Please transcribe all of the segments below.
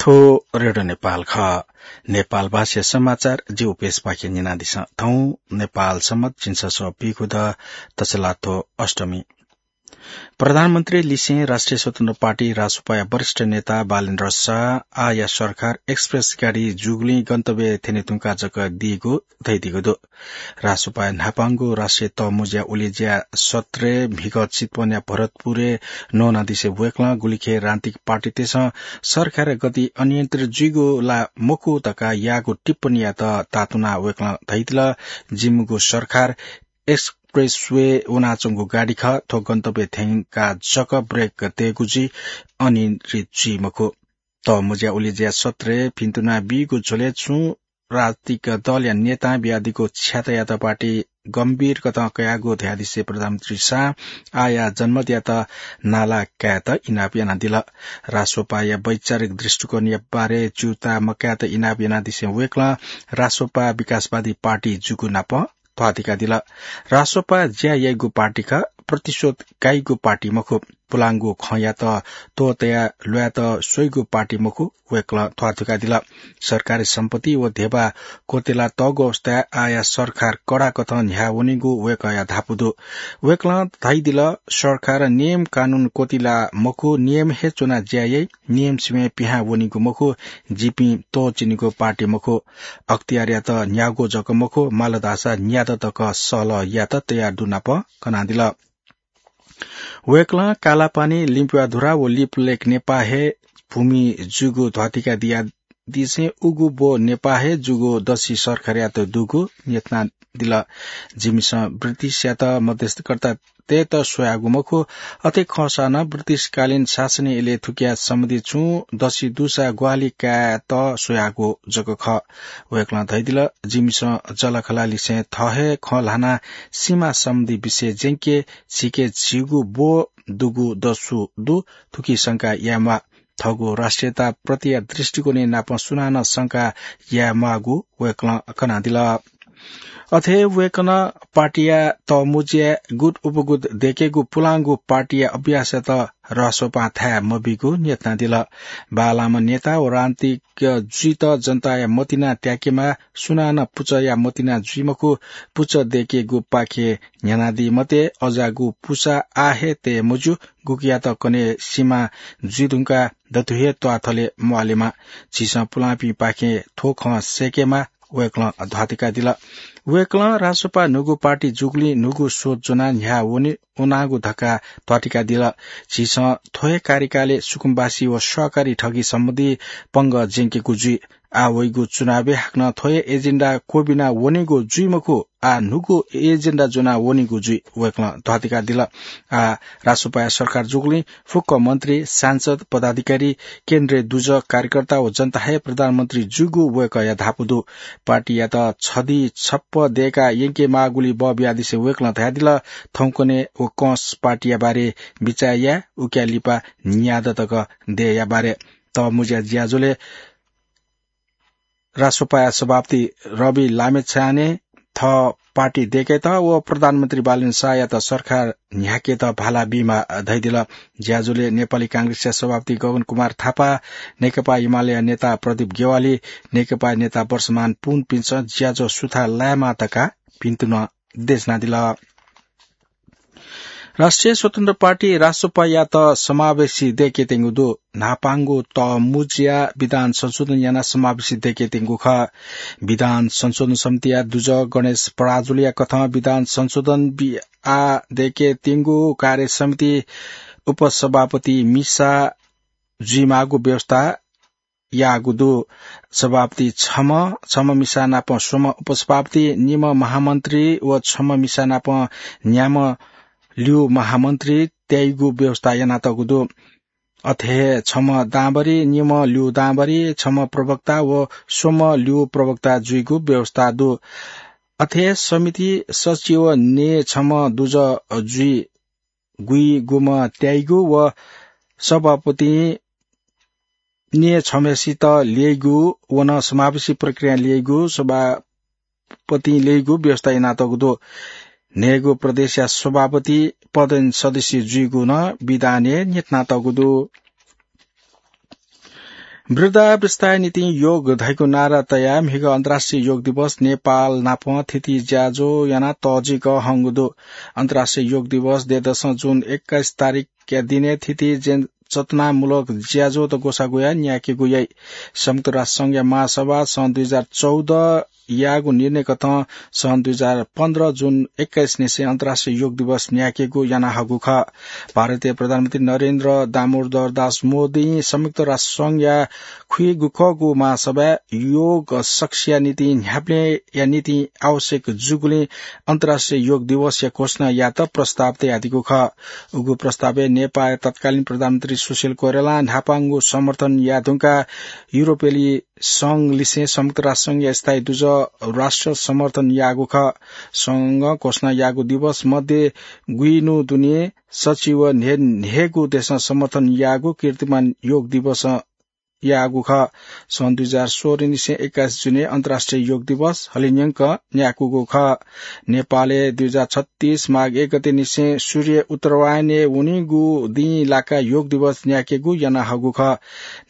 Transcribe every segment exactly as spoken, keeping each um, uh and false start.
थ्व रेडियो नेपाल खः। नेपाल भाषा समाचार जि उपेश पाखे न्यनादिसँ। थौं नेपाल सम्बत झिंछसः पीखुद तछलाथ्व अष्टमी। प्रधानमन्त्री लिसें राष्ट्रिय स्वतन्त्र पार्टी रासोपाया वरिष्ठ नेता बालेन्द्र शाह आःया सरकार एक्सप्रेस गाडी जुगुलिं गन्तव्य थ्यने धुंकाः जक दीगु धयादीगु दु। रासोपाया न्हापांगु राष्ट्रिय तःमुँज्या उलेज्या सत्रय् म्हिगः चितवनया भरतपुरय् नवानादिसे वय्कलं गुलिखे राजनीतिक पार्टीतय्सं सरकारया गति अनियन्त्रित जुइगु ला मखु धकाः याःगु टिप्पणीयात तातुनाः वय्कलं धयादिल, जिमिगु सरकार एक्सप्रेसवे वनाच्वंगु गाडी खः, थ्व गन्तव्य थ्यंकाः जक ब्रेक तयेगु जुइ, अनियन्त्रित जुइ मखु। तःमुँज्या उलेज्या सत्रय् भिन्तुना बीगु झ्वलय् छुं राजनीतिक दलया नेतां बियादीगु छ्यातायात पार्टी गम्भीर कथं कयागु धयादिसे प्रधानमन्त्री शाहं आःया जनमतयात नाला कायेत इनाप यानादिल। रासोपाया वैचारिक दृष्टिकोणया बारे च्यूताः मकायेत इनाप यानादिसे वय्कलं रासोपा विकासवादी पार्टी जूगु नाप ध्वाथुइकादिल। रासोपा ज्या याइगु पार्टी खः, प्रतिशोध काइगु पार्टी मखु, पुलांगु खँयात त्वःतया ल्वायेत स्वइगु पार्टी मखु, वय्कलं ध्वाथुइकादिल। सरकारी सम्पत्ति व धेबा क्वतेला तःगु अवस्थाय् आःया सरकार कडा कथं न्ह्याः वनीगु वय्कःया धापू दु। वय्कलं धयादिल, सरकार नियम कानून क्वतिला मखु, नियम हे च्वना ज्या याइ, नियम सिबें पिहां वनीगु मखु, जिपिं त्वःचिनीगु पार्टी मखु। अख्तियारयात न्यागू जक मखु, माल धाःसा न्यादँ तक सहलह यायेत तयार दु नाप कनादिल। वय्कलं कालापानी, लिम्पुवाधुरा व लिपुलेक नेपाः हे भूमि जूगु ध्वाथुइकादियादिसें उगु ब्व नेपाः हे जूगु दसि सरकारयात दुगु न्ह्यथनादिल। जिमिसं ब्रिटिशयात मध्यस्थकर्ता तयेत स्वयागु मखु। अथे खःसा नं ब्रिटिशकालीन शासनय् इलय् थुकिया सम्बन्धी छुं दसि दुसा ग्वाहालि कायेत स्वयागु जक खः। वय्कलं धयादिल, जिमिसं जःलाखःलालिसें थः हे खँ ल्हानाः सीमा सम्बन्धी विषय ज्यंके झीके झीगु ब्व दुगु दसु दु, थुकी शंका याये म्वाः। थःगु राष्ट्रियता प्रतिया दृष्टिकोणय् नाप सुनानं शंका याये म्वाःगु वय्कलं कनादिल। अथे वय्कलं पार्टीया तःमुँज्याय् गुट उपगुट दय्केगु पुलांगु पार्टीया अभ्यासयात रासोपां थाय् मबीगु न्ह्यथनादिल। बांलाःम्ह नेता व राजनीतिक जुइत जनताया मतिना त्याकेमाः, सुनानं पुचःया मतिना जुइ मखु, पुचः दय्केगुपाखे न्ह्यानादी मते, अज्याःगु पुसा आः हे तये मज्यू, गुकियात कन्हय् सीमा जुइ धुंकाः दथुइ हे त्वाःथले म्वालेमाः। झीसं पुलांपिंपाखें थ्व खँ सय्केमाः, वय्कलं ध्वाथुइकादिल। वय्कलं रासोपा न्हूगु पार्टी जूगुलिं न्हूगु सोच ज्वनाः न्ह्याः वने वनागु धकाः ध्वाथुइकादिल। झीसं थ्व हे कार्यकालय् सुकुम्बासी व सहकारी ठगी सम्बन्धी पंगः ज्यंकेगु जुइ। आः वइगु चुनावय् हाकनं थ्व हे एजेन्डा क्वबिना वनेगु जुइ मखु, आः न्हूगु एजेन्डा ज्वना वनेगु जुइ, वय्कलं ध्वाथुइकादिल। आः रासोपाया सरकार जूगुलिं फुक्क मन्त्री, सांसद, पदाधिकारी, केन्द्रीय दुजः, कार्यकर्ता व जनता हे प्रधानमन्त्री जूगु वय्कःया धापू दु। पार्टीयात छधी छप्प दय्काः यंके माःगुली बः बियादिसे वय्कलं धयादिल, थौंकन्हय् व कंस पार्टीया बारे बिचाः याये, उकिया लिपा न्यादँ तक दयेया बारे। तःमुँज्या ज्याझ्वलय् रासोपाया सभापति रवि लामिछानें थः पार्टी दय्केत व प्रधानमन्त्री बालेन्द्र शाहयात सरकार न्ह्याकेत भाला बीमाः धयादिल। ज्याझ्वलय् नेपाली कांग्रेसया सभापति गगन कुमार थापा, नेकपा एमालेया नेता प्रदीप ज्ञवाली, नेकपा नेता वर्षमान पुनपिन्सं ज्याझ्वः सुथां लायेमाः धकाः भिन्तुना देछानादिल। राष्ट्रिय स्वतन्त्र पार्टी रासोपायात समावेशी दय्केत्यंगु दु। न्हापांगु तःमुँज्या विधान संशोधन यानाः समावेशी दय्केत्यंगु खः। विधान संशोधन समितिया दुजः गणेश पराजुलीया कथं विधान संशोधन बि-, आ दय्केत्यंगु कार्य समिति उपसभापति मिसा जुइमाःगु व्यवस्था याःगु दु। सभापति छम्ह, छम्ह मिसा नाप स्वम्ह उपसभापति, निम्ह महामन्त्री व छम्ह मिसा नाप न्याम्ह ल्यू महामन्त्री त्याइगु व्यवस्था यानातःगु दु। अथे हे छम्ह दांभरि, निम्ह ल्यू दांभरि, छम्ह प्रवक्ता व स्वम्ह ल्यू प्रवक्ता जुइगु व्यवस्था दु। अथे हे समिति सचिव ने छम्ह दुजः जुइ गुइगुम्ह त्याइगु व सभापतिं ने छम्हसित ल्यइगु व नं समावेशी प्रक्रिया ल्यइगु सभापतिं ल्यइगु व्यवस्था यानातःगु दु। न्हय्गू प्रदेशया सभापति पदेन सदस्य जुइगु नं विधानय् न्ह्यथनातःगु दु। वृद्धावस्थाया निंतिं योग धइगु नारा तयाः म्हिगः अन्तर्राष्ट्रिय योग दिवस नेपाल नाप थीथी ज्याझ्वः यानाः तःजिक हंगु दु। अन्तर्राष्ट्रिय योग दिवस दँय्‌दसं जुन एक्काइस तारिखया दिनय् थीथी जन-, चेतनामूलक ज्याझ्वःत ग्वसाः ग्वयाः न्यायेकेगु याइ। संयुक्त राष्ट्र संघया महासभा सन् दुई हजार चौध याःगु निर्णय कथं सन् दुई हजार पन्ध्र जुन एक्काइस निसें अन्तर्राष्ट्रिय योग दिवस न्यायेकेगु याना हःगु खः। भारतीय प्रधानमन्त्री नरेन्द्र दामोदर दास मोदीं संयुक्त राष्ट्र संघया खुइगुखःगु महासभाय् योग सकसिया निंतिं न्ह्याबलेंया निंतिं आवश्यक जूगुलिं अन्तर्राष्ट्रिय योग दिवसया घोषणा यायेत प्रस्ताव तयादीगु खः। उगु प्रस्तावय् नेपाःया तत्कालीन प्रधानमन्त्री सुशील कोइरालां न्हापांगु समर्थन याये धुंकाः युरोपेली संघ लिसें संयुक्त राष्ट्र संघया स्थायी दुजः राष्ट्र समर्थन याःगु खः। संघं घोषणा याःगु दिवस मध्ये गुइनु दुने सच्छि व न्हे-, न्हेगू देशं समर्थन याःगु कीर्तिमान योग दिवस याःगु खः। सन् दुई हजार सोह्र निसें एक्काइस जुने अन्तर्राष्ट्रिय योग दिवस हलिंन्यंक न्याकूगु खः। नेपालय् दुई हजार छत्तीस माघ एक गते निसें सूर्य उत्तरायणय् वनीगु दिं लाकाः योग दिवस न्याकेगु याना हःगु खः।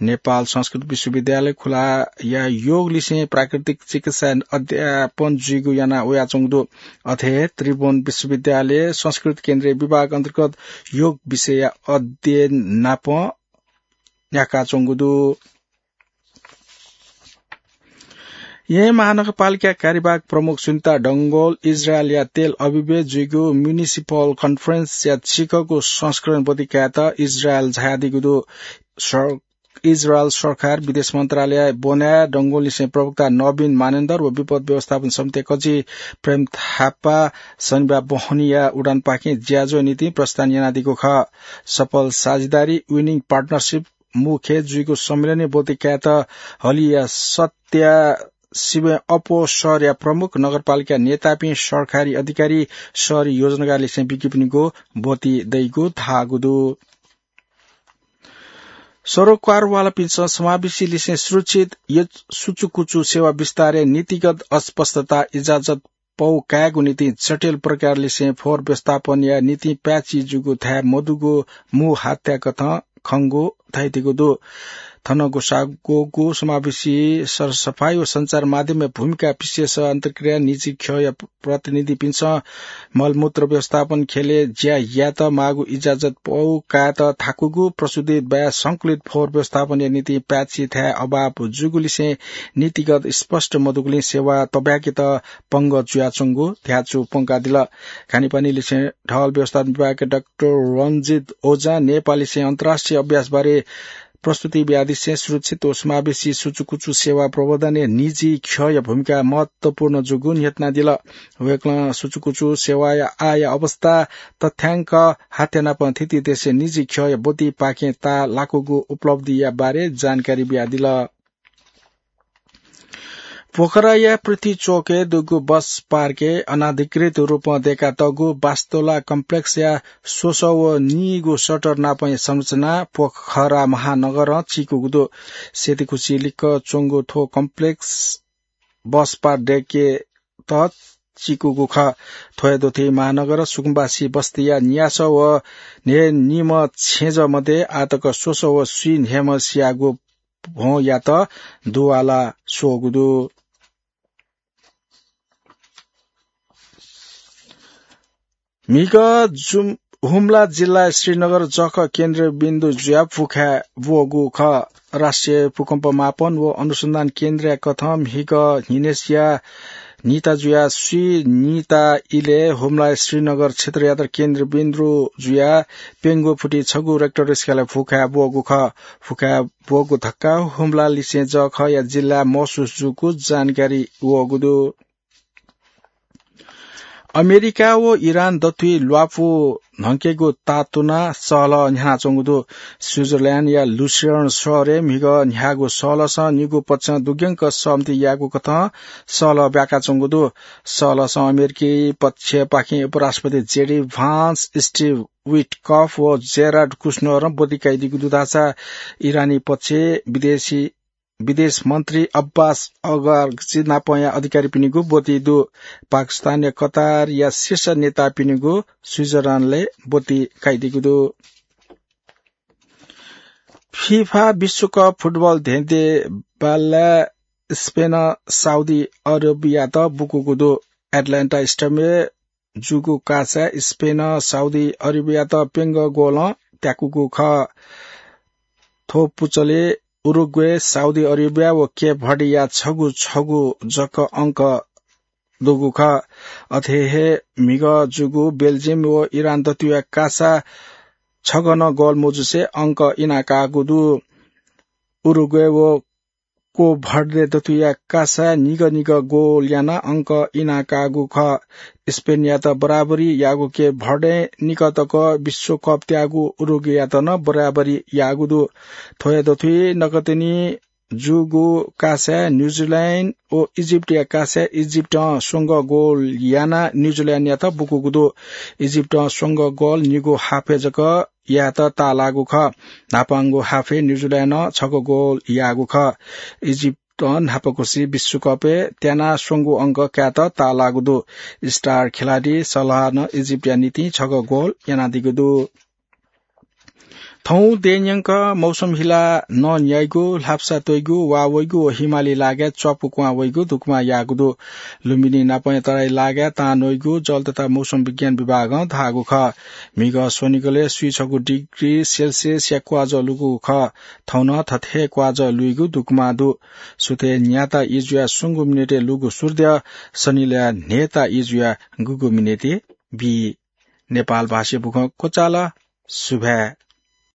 नेपाल संस्कृत विश्वविद्यालय खुलाया योग लिसें प्राकृतिक चिकित्सा अध्यापन जुइगु याना वयाच्वंगु दु। अथे त्रिभुवन विश्वविद्यालय संस्कृत केन्द्रीय विभाग अन्तर्गत योग विषयया अध्ययन नाप न्याकाच्वंगु दु। येँ महानगरपालिका कार्यवाहक प्रमुख सुनिता डंगोल इजरायलया तेल अभिभय् जुइगु म्युनिसिपल कन्फरेन्सया चिकगु संस्करण ब्वति कायेत इजरायल झायादीगु दु। सर-, इजरायल सरकार विदेश मन्त्रालय ब्वनाय् डंगोललिसें प्रवक्ता नवीन मानेन्दर व विपद व्यवस्थापन समितिया कजि प्रेम थापा शनिबार बहनीया उडानपाखें ज्याझ्वः निंतिं प्रस्थान यानादीगु खः। सफल साझेदारी, विनिङ पार्टनरसिप मुख्य जुइगु सम्मेलनय् ब्वति कायेत हलिया सत्या सिबें अप्वः शहरया प्रमुख नगरपालिका नेतापिं, सरकारी अधिकारी, शहरी योजनाकारलिसें बिकिपिनिगु ब्वति दइगु धाःगु दु। सरोकारवालापिन्सं समावेशीलिसें सुरक्षित यच-, सुचुकुचु सेवा विस्तारय् नीतिगत अस्पष्टता इजाजत पौ कायेगु निंतिं जटिल प्रकारलिसें फोहोर व्यवस्थापनया निंतिं प्याची जूगु थाय् मदुगु मू हात्या कथं खंगु धयादीगु दु। थन ग्वसाः ग्वःगु समावेशी सरसफाई व सञ्चार माध्यमया भूमिका विशेष अन्तर्क्रिया निजी ख्यःया प्रतिनिधिपिन्सं मलमूत्र व्यवस्थापन ख्यलय् ज्या यायेत माःगु इजाजत पौ कायेत थाकूगु प्रस्तुति बाहेक संकलित फोहोर व्यवस्थापनया निंतिं प्याची थाय् अभाव जूगुलिसें नीतिगत स्पष्ट मदुगुलिं सेवा तब्याकेत पंगः जुयाच्वंगु ध्याचु प्वंकादिल। खानेपानीलिसें ढल व्यवस्थापन विभागया डाक्टर रञ्जित ओझां नेपाललिसें अन्तर्राष्ट्रिय अभ्यासबारे प्रस्तुति बियादिसें सुरक्षित व समावेशी सुचुकुचु सेवा प्रवर्धनय् निजी ख्यःया भूमिका महत्वपूर्ण जूगु न्ह्यथनादिल। वय्कलं सुचुकुचु सेवाया आःया अवस्था तथ्याङ्क हात्यानापं थीथी देशय् निजी ख्यःया ब्वतिपाखें ताः लाकूगु उपलब्धिया बारे जानकारी बियादिल। पोखराया पृथ्वी चोकय् दुगु बस पार्कय् अनाधिकृत रूपं दय्कातःगु बास्तोला कम्प्लेक्सया स्वसः व नीगु सटर नापंया संरचना पोखरा महानगरं चीकूगु दु। सेतीखुसी लिक्क च्वंगु थ्व कम्प्लेक्स बस पार्क दय्केत चीकूगु खः। थ्वया दथुइ महानगर सुकुम्बासी बस्तीया न्यासः व न्हय्निम्ह छेँजः मध्ये आःतक स्वसः व स्वीन्हय्म्ह सियागु भ्वंयात दुवाला स्वःगु दु। म्हिगः जुम-, हुम्ला जिल्ला श्रीनगर जःखः केन्द्रबिन्दु जुयाः फुखाय् ब्वःगु खः। राष्ट्रिय भूकम्प मापन व अनुसन्धान केन्द्रया कथं म्हिगः न्हिनय्सिया न्हिता जुयाः स्वीन्हिता इलय् हुम्ला श्रीनगर क्षेत्रयात केन्द्रबिन्दु जुयाः प्यंगू फुति छगू रेक्टर स्केलय् फुखाय् ब्वःगु खः। फुखाय् ब्वःगु धक्का हुम्लालिसें जःखःया जिल्लाय् महसुस जूगु जानकारी वःगु दु। अमेरिका व इरान दथुइ ल्वापु न्हंकेगु तातुना सहलह न्ह्यानाच्वंगु दु। स्विजरल्याण्डया लुसेर्न शहरय् म्हिगः न्ह्याःगु सहलहसं निगू पक्षं दुग्यंक सहमति याःगु कथं सहलह ब्याकाच्वंगु दु। सहलहसं अमेरिकी पक्षपाखें उपराष्ट्रपति जेडी भान्स, स्टिभ विटकफ व जेरार्ड कुश्नरं ब्वति काइदीगु दु धाःसा इरानी पक्षय् विदेशी विदेश मन्त्री अब्बास अगार्गची नापंया अधिकारीपिनिगु ब्वति दु। पाकिस्तानया कतारया शीर्ष नेतापिनिगु स्विजरल्याण्डय् ब्वति काइदीगु दु। फिफा विश्वकप फुटबल धेंधेंबालय् स्पेनं साउदी अरेबियात बुकूगु दु। एटलान्टा स्टेडियमय् जूगु कासाय् स्पेनं साउदी अरेबियात प्यंगः गोलं त्याकूगु खः। थ्व पुचलय् उरुग्वे, साउदी अरेबिया व केप भर्डेया छगू छगू जक अंक दुगु खः। अथे हे म्हिगः जूगु बेल्जियम व इरान दथुया कासा छगः नं गोल मजुसे अंक इनाकाःगु दु। उरुग्वे व केप भर्डे दथुया कासा निगः निगः गोल यानाः अंक इनाकाःगु खः। स्पेनयात बराबरी याःगु केप भर्डें निकः तक विश्वकप त्याःगु उरुग्वेयात नं बराबरी याःगु दु। थ्व हे दथुइ नकतिनि जूगु कासाय् न्युजिल्यान्ड व इजिप्टया कासाय् इजिप्टं स्वंगः गोल यानाः न्युजिल्यान्डयात बुकूगु दु। इजिप्टं स्वंगः गोल निगू हाफय् जक यायेत ताःलाःगु खः। न्हापांगु हाफय् न्युजिल्यान्डं छगू गोल याःगु खः। इजिप्टं न्हापाकुसि विश्वकपय् त्यानाः स्वंगू अंक कायेत ताःलाःगु दु। स्टार खेलाडी सलाहं इजिप्टया निंतिं छगू गोल यानादीगु दु। थौं देय्‌न्यंक मौसम हिलाः नं न्याइगु, ल्हापसा त्वइगु, वा वइगु व हिमाली लागाय् च्वापु क्वहां वइगु दुकमा याःगु दु। लुम्बिनी नापं तराई लागाय् तां नइगु जल तथा मौसम विज्ञान विभागं धाःगु खः। म्हिगः स्वनिगलय् स्वीछगू डिग्री सेल्सियसया क्वाजः लुइगु खः। थौं नं थथे हे क्वाजः लुइगु दुकमा दु। सुथय् न्याता ई जुयाः स्वंगू मिनेटय् लुइगु सूर्य सनिलय् न्हय्‌ता ई जुयाः गुगू मिनेटय् बी। नेपाल भाषाय् बुखँ क्वचाल। सुभाय्।